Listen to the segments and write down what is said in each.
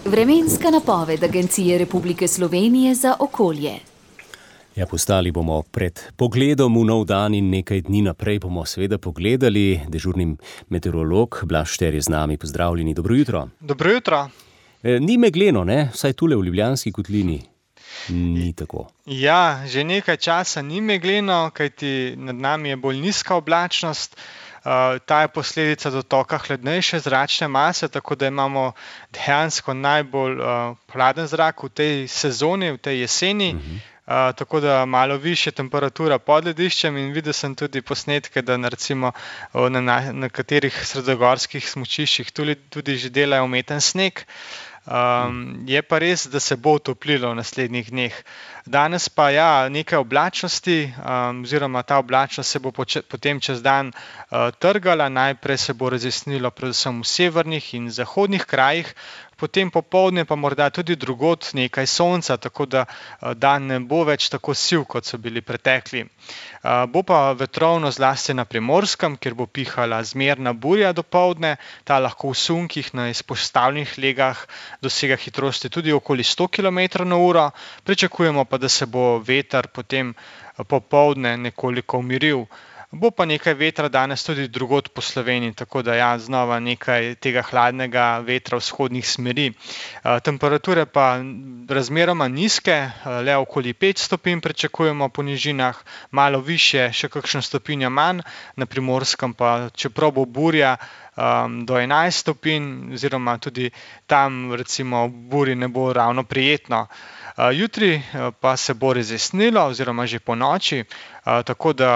Vremenska napoved Agencije Republike Slovenije za okolje. Ja, postali bomo pred pogledom v nov dan in nekaj dni naprej bomo seveda pogledali. Dežurni meteorolog Blaž Šter je z nami. Pozdravljeni, dobro jutro. Dobro jutro. Ni megleno, ne? Vsaj tule v Ljubljanski kotlini ni tako. Ja, že nekaj časa ni megleno, kajti nad nami je bolj nizka oblačnost. Ta je posledica dotoka hladnejše zračne mase, tako da imamo dejansko najbolj hladen zrak v tej sezoni, v tej jeseni. Tako da malo višja temperatura pod lediščem in videl sem tudi posnetke, da recimo na nekaterih sredogorskih smučiščih tudi že delajo umeten sneg. Je pa res, da se bo otoplilo v naslednjih dneh. Danes pa nekaj oblačnosti, oziroma ta oblačnost se bo potem čez dan trgala. Najprej se bo razjasnilo predvsem v severnih in zahodnih krajih, potem popoldne pa morda tudi drugod nekaj sonca, tako da dan ne bo več tako siv, kot so bili pretekli. Bo pa vetrovno zlasti na Primorskem, kjer bo pihala zmerna burja dopoldne. Ta lahko v sunkih na izpostavljenih legah dosega hitrosti tudi okoli 100 km/h. Pričakujemo pa, da se bo veter potem popoldne nekoliko umiril. Bo pa nekaj vetra danes tudi drugod po Sloveniji, tako da znova nekaj tega hladnega vetra vzhodnih smeri. Temperature pa razmeroma nizke, le okoli 5 stopinj pričakujemo po nižinah, malo višje, še kakšno stopinjo manj, na Primorskem pa, čeprav bo burja, do 11 stopinj, oziroma tudi tam recimo v burji ne bo ravno prijetno. Jutri pa se bo razjasnilo, oziroma že ponoči, tako da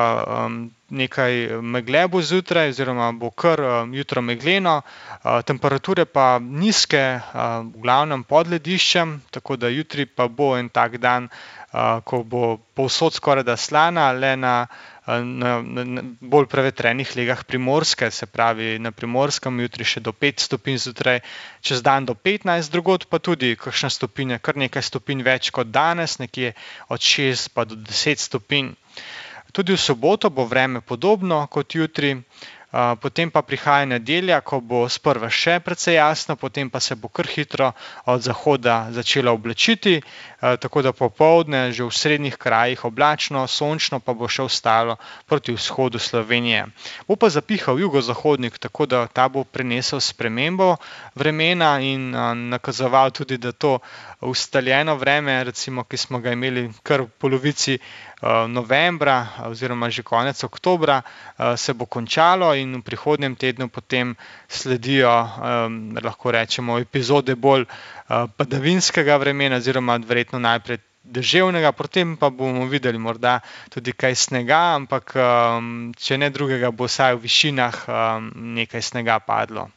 nekaj megle bo zjutraj, oziroma bo kar jutro megleno, temperature pa nizke, v glavnem pod lediščem, tako da jutri pa bo en tak dan, ko bo povsod skorajda slana, le na bolj prevetrenih legah Primorske, se pravi na Primorskem jutri še do 5 stopinj zjutraj, čez dan do 15, drugod pa tudi kakšna stopinja, kar nekaj stopinj več kot danes, nekje od 6 pa do 10 stopinj. Tudi v soboto bo vreme podobno kot jutri, potem pa prihaja nedelja, ko bo sprva še precej jasno, potem pa se bo kar hitro od zahoda začelo oblačiti, tako da popoldne že v srednjih krajih oblačno, sončno pa bo še ostalo proti vzhodu Slovenije. Bo pa zapihal jugozahodnik, tako da ta bo prinesel spremembo vremena in nakazoval tudi, da to ustaljeno vreme, recimo, ki smo ga imeli kar v polovici novembra oziroma že konec oktobra, se bo končalo in v prihodnjem tednu potem sledijo, lahko rečemo, epizode bolj padavinskega vremena, oziroma verjetno najprej deževnega, potem pa bomo videli morda tudi kaj snega, ampak če ne drugega, bo vsaj v višinah nekaj snega padlo.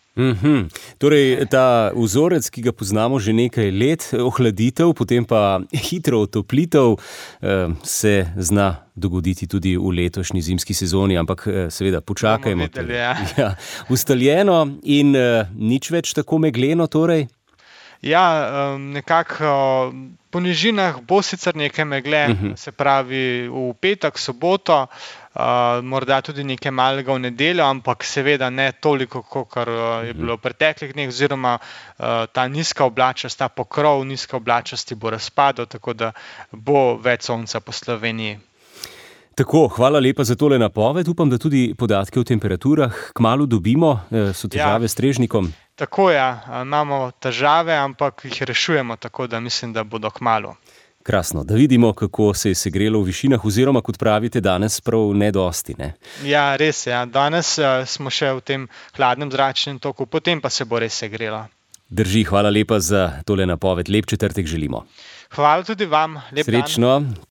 Torej, ta vzorec, ki ga poznamo že nekaj let, ohladitev, potem pa hitro otoplitev, se zna dogoditi tudi v letošnji zimski sezoni, ampak seveda počakajmo. Ustaljeno in nič več tako megleno torej? Nekako po nižinah bo sicer nekaj megle, se pravi v petek, soboto, morda tudi nekaj malega v nedeljo, ampak seveda ne toliko, kakor je bilo v preteklih dneh, oziroma ta nizka oblačnost, ta pokrov nizke oblačnosti bo razpadel, tako da bo več sonca po Sloveniji. Tako, hvala lepa za tole napoved. Upam, da tudi podatke o temperaturah kmalu dobimo. So težave s strežnikom? Tako imamo težave, ampak jih rešujemo, tako da mislim, da bodo kmalu. Krasno, da vidimo, kako se je segrelo v višinah, oziroma, kot pravite, danes prav ne dosti, ne? Ja, res je. Danes smo še v tem hladnem zračnem toku, potem pa se bo res segrelo. Drži, hvala lepa za tole napoved. Lep četrtek želimo. Hvala tudi vam. Lep dan. Srečno.